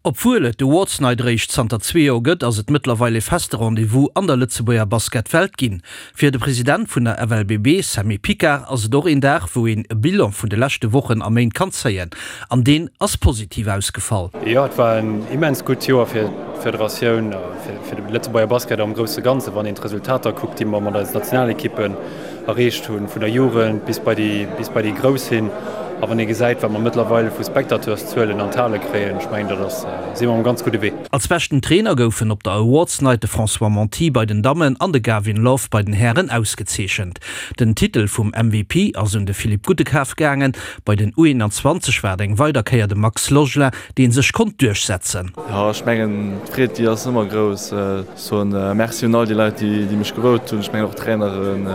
Obwuel et d'Awards Night eréischt zanter zwee Joer gëtt, ass et mëttlerweil e feste Rendez-vous an der Lëtzebuerger Basketwelt ginn. Fir de President vun der FLBB, Sammy Picard, ass et och een Dag, wou een e Bilan vun de leschte Wochen a Méint kann zéien. An deen ass positiv ausgefall. Jo, et war en immens gutt Joer fir d'Federatioun a fir de Lëtzebuerger Basket am grousse Ganzen, wann een d'Resultater kuckt, déi mer mat eisen Nationalekippen erreecht hunn, vun der Jugend bis bei déi, bis bei déi Grouss hin. A wann ee gesäit, wat mer mëttlerweil vu Spectateurszuelen an d'Hale kréien, ech mengen, dat ass, si mer um ganz gudde Wee. Als beschten Trainer goufen op der Awards Night de François Monti bei den Dammen an de Gavin Love bei den Hären ausgezeechent. Den Titel vum MVP ass un de Philippe Guttekaf gaangen. Bei den U21 war et eng weider Kéier de Max Logelin, dee sech konnt duerchsetzen. Jo, ech mengen, d'Freed, déi ass ëmmer grouss. Soen Merci un all déi Leit, déi mech gevote hunn. Ech mengen och d'Traineren.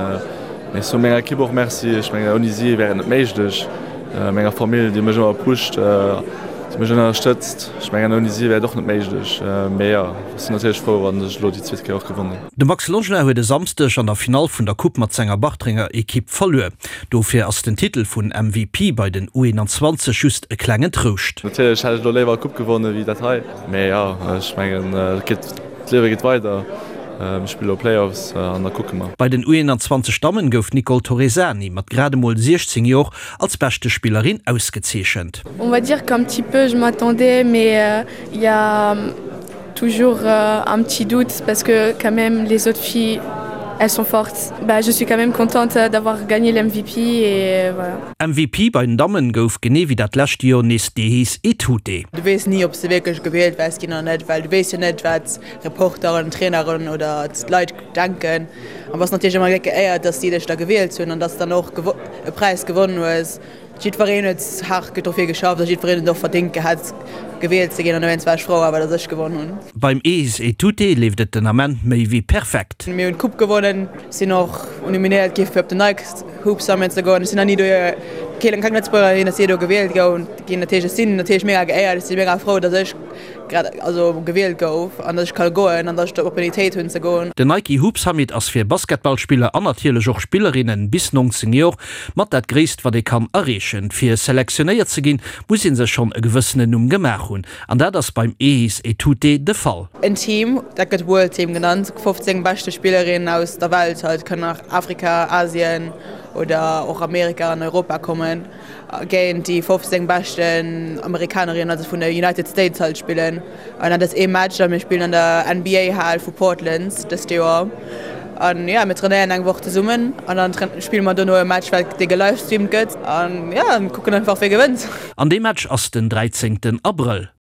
Mee ech soe menger Ekipp och Merci. Ech mengen ouni si wär et net méiglech. Menger Famill, déi mech ëmmer pusht, déi mech ënnerstëtzt. Ech mengen ouni si wär et och net méiglech. Mee jo, ech sinn natierlech frou, wann ech elo déi zweet Kéier och gewonnen hunn. De Max Logelin huet e Samsdeg an der Finall vun der Coupe mat senger Bartrenger Ekipp verluer. Dofir ass den Titel vun MVP bei den U21 just e klengen Trouscht. Natierlech hätt ech elo léiwer d'Coupe gewonnen, wéi dat hei. Mee jo, ech mengen et geet, d'Liewe geet weider. Mir spille lo Playoffs an da kucke mer. Bei den U21 Dammen gouf d'Nicole Torresani mat grad emol 16 Jor als beschte Spillerin ausgezeechent. On va dire qu'un petit peu je m'attendais mais il y a toujours un petit doute parce que quand même les autres filles elles sont fortes. Bah je suis quand même contente d'avoir gagné l'MVP et voilà. MVP bei den Dammen gouf genee wéi dat lescht Joer nees d'Ehis Etute. Du weess ni, ob s de wierklech gewielt wäers ginn oder net, well du weess jo net, wat Reporteren, Traineren oder d'Leit denken. An bass natierlech ëmmer gléck geéiert, dass si dech da gewielt hunn an dass de dann och e Präis gewonnen hues. Jiddwereen huet haart dofir geschafft a jiddwereen huet et och verdéngt gehat, gewielt ze ginn an dowéinst war ech frou awer, dass ech gewonnen hunn. Beim Ehis Etute leeft et den Ament méi wéi perfekt. Mir hunn d'Coupe gewonnen, sinn och nominéiert gi fir op den Nike Hoop Summit ze goen. Ech sinn nach ni do, keen, keng Lëtzebuergerin ass jee do gewielt goun ginn. Dat heescht, ech sinn natierlech mega geéiert, ech si mega frou, dass ech grad also gewielt gouf an dass ech ka goen an dass ech d'Opportunitéit hunn ze goen. Den Nike Hoop Summit ass fir Basketballspiller an natierlech och Spillerinnen bis 19 Jor mat dat gréisst wat ee kann erreechen. Fir selektionéiert ze ginn, muss ee sech schonn e gewëssenen Numm gemaach hunn. An dat ass beim Ehis Etute de Fall. En Team, dat gëtt World Team genannt, 15 beschte Spillerinnen aus der Welt halt, kënnen nach Afrika, Asien oder och Amerika an Europa kommen, géint déi 15 beschten Amerikanerinnen, also vun de United States halt spillen. An dat ass ee Match a mir spillen an der NBA-Hal vu Portland dëst Joer. An jo, mir trainéieren eng Woch zesummen an dann spille mer dono e Match, wat dee gelivestreamt gëtt. An jo, kucken einfach, wie gewënnt. An dee Match ass den 13 Abrëll.